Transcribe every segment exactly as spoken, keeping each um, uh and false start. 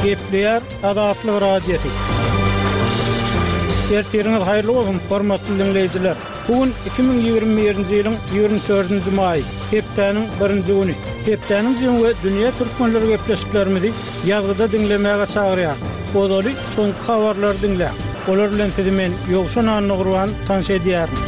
Gepleýär Azatlyk Radiosy. Ertiriňiz haýyrly bolsun, hormatly diňleýjiler. Bu gün iki müň ýigrimi birinji ýylyň ýigrimi dördünji maýy, hepdäniň birinji güni. Hepdäniň jemi we dünýä türkmenleri gepleşiklerimizi ýazgyda diňlemäge çagyrýar. Ozaly soňky habarlary diňläň. Olar bilen sizi men Ýowşan Annagurban tanyş edýärin.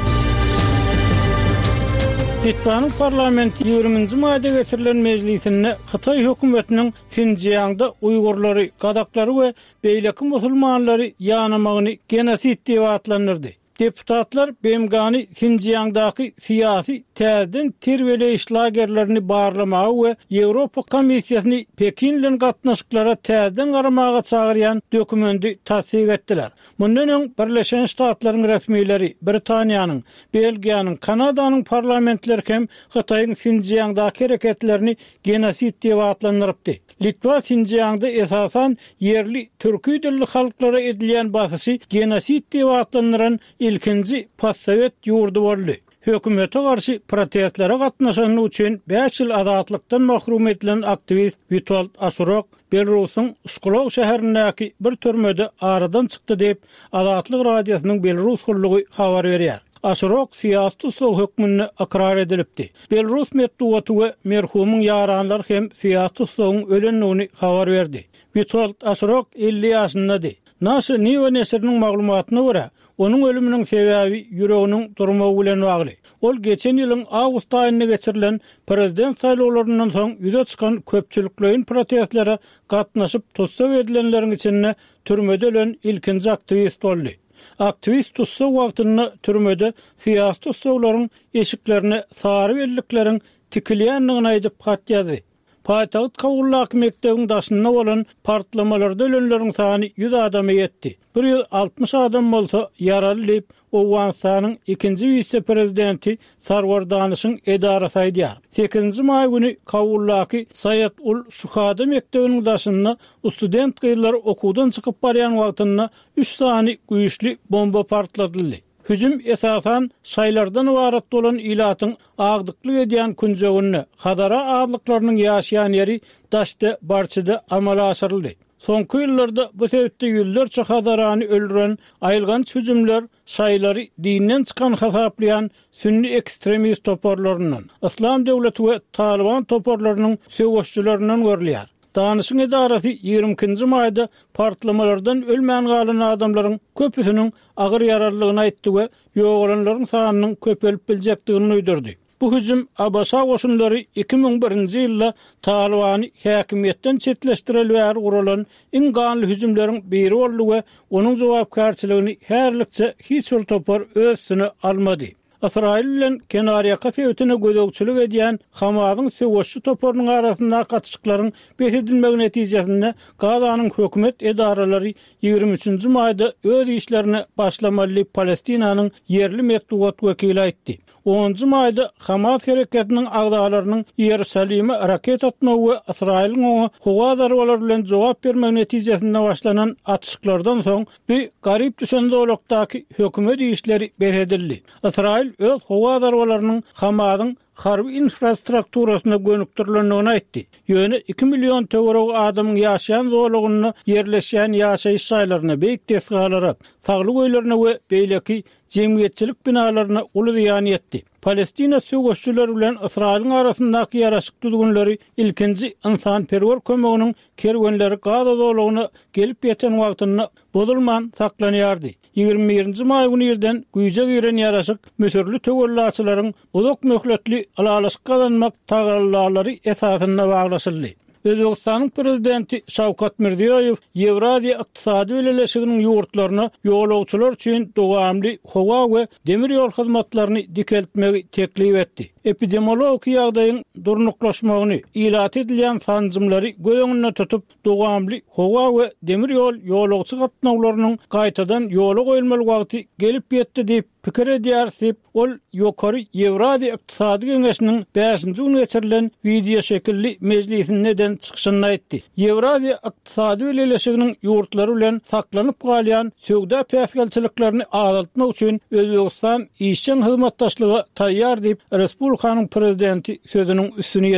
Litwanyň parlamenti ýigriminji maýda geçirilen mejlisinde Hytaý hökümetiniň Sinjiangda uýgurlary, gazaklary we beýleki musulmanlary ýanamagyny genosid diýip atlandyrdy. Deputatlar B M G-ny Sinjiangdaky syýasy täzeden terbiýeleýiş lagerlerini barlamaga we Ýewropa Komissiýasyny Pekin bilen gatnaşyklara täzeden garamaga çagyrýan dokumendi tassyk etdiler. Mundan öň Birleşen Ştatlaryň resmileri, Britaniýanyň, Belgiýanyň, Kanadanyň parlamentleri hem Hytaýyň Sinjiangdaky hereketlerini genosid diýip atlandyrypdy. Litwa Sinjiangda esasan ýerli türki dilli halklara edilýän basyşy genosid diýip atlandyran ilkinji postsowet ýurdy boldy. Hökümete garşy protestlere gatnaşany üçin bäş ýyl azatlykdan mahrum edilen aktiwist Witold Aşurok Belarusyň Şklow şäherindäki bir türmede aradan çykdy diýip, Azatlyk Radiosynyň Belarus gullugy habar berýär. Aşurok syýasy tussag hökmünde ykrar edilipdi. Belarus metbugaty we merhumyň ýaranlary hem syýasy tussagyň ölendigini habar berdi. Witold Aşurok elli ýaşyndady. Naşa Niwa neşiriniň maglumatyna görä, onuň ölüminiň sebäbi ýüreginiň durmagy bilen bagly. Ol geçen ýylyň awgust aýynda geçirilen prezident saýlawlaryndan soň ýüze çykan köpçülikleýin protestlere gatnaşyp tussag edilenleriň içinde türmede ölen ilkinji aktiwist boldy. Aktiwist tussag wagtynda türmede syýasy tussaglaryň eşiklerine sary bellikleriň tikilýändigini aýdyp hat ýazdy. Paýtagt Kabuldaky mekdebiň daşynda bolan partlamalarda ölenleriň sany ýüz adama ýetdi. Bir ýüz altmyş adam bolsa ýaraly diýip, Owganystanyň ikinji wise-prezidenti Sarwar Danyşyň edarasy aýdýar. Sekizinji maý güni Kabuldaky Saýat ul Şuhada mekdebiniň daşynda student gyzlar okuwdan çykyp barýan wagtynda üç sany güýçli bomba partladyldy. Hüjüm esasan şaýlardan ybarat bolan ilatyň agdyklyk edýän künjeginde, Hazara azlyklarynyň ýaşaýan ýeri Daşda Barçyda amala aşyryldy. Soňky ýyllarda bu sebitde ýüzlerçe Hazarany öldüren aýylganç hüjümler şaýlary dinden çykan hasaplaýan sünni ekstremist toparlaryndan, Yslam döwleti we Talyban toparlarynyň söweşçilerinden görülýär. Danyşyň edarasy ýigrimi ikinji maýda partlamalardan ölmän galan adamlaryň köpüsiniň agyr ýaralydygyny aýtdy we ýogalanlaryň sanynyň köpelip biljekdigini duýdurdy. Bu hüjüm A B Ş goşunlary iki müň birinji ýylda Talybany häkimiýetden çetleşdireli bäri guralan iň ganly hüjümleriň biri boldy we onuň jogapkärçiligini häzirlikçe hiç bir topar öz üstüne almady. Ysraýyl bilen kenarýaka sebitine gözegçilik edýän Hamasyň söweşçi toparynyň arasyndaky atyşyklaryň bes edilmegi netijesinde Gazanyň hökümet edaralary ýigrimi üçünji maýda öz işlerine başlamaly diýip Palestinanyň ýerli metbugat wekili aýtdy. Onunjy maýda Hamas hereketiniň agzalarynyň Iýerusalime raket atmagy we Ysraýylyň oňa howa zarbalary bilen jogap bermegi netijesinde başlanan atyşyklardan soň bu garyp düşen zolakdaky hökümet işleri bes edildi. Ysraýyl öz howa zarbalarynyň Hamasyň harby infrastrukturasyna gönükdirilendigini aýtdy. Ýöne iki million töweregi adamyň ýaşaýan zolagynda ýerleşýän ýaşaýyş jaýlaryna, beýik desgalara, saglyk öýlerine we beýleki jemgyýetçilik binalaryna uly zyýan ýetdi. Palestina söweşçileri bilen Ysraýylyň arasyndaky ýaraşyk düzgünleri ilkinji ynsanperwer kömeginiň kerwenleri Gaza zolagyna gelip ýeten wagtynda bozulman saklanýardy. Ýigrimi birinji maý güni irden güýje giren ýaraşyk Müsürli töwellaçylaryň uzak möhletli ylalaşyk gazanmak tagallalary esasynda baglaşyldy. Özbegistanyň prezidenti Şawkat Mirziýoýew Ýewraziýa ykdysady bileleşiginiň ýurtlaryna ýolagçylar üçin dowamly howa we demir ýol hyzmatlaryny dikeltmegi teklip etdi. Epidemiologik ýagdaýyň durnuklaşmagyny, ilaty edilýän sanjymlary göz öňünde tutup, dowamly howa we demir ýol ýolagçy gatnawlarynyň gaýtadan ýola goýulmaly wagty gelip ýetdi diýip pikir edýär diýip, ol Ýokary Ýewraziýa ykdysady geňeşiniň bäşinji güni geçirilen wideo şekilli mejlisinde eden çykyşynda aýtdy. Ýewraziýa ykdysady bileleşiginiň ýurtlary bilen saklanyp galýan söwda päsgelçiliklerini azaltmak üçin Özbegistan işjeň hyzmatdaşlyga taýýar diýip, Respublikanyň prezidenti sözüniň üstüni ýetirdi.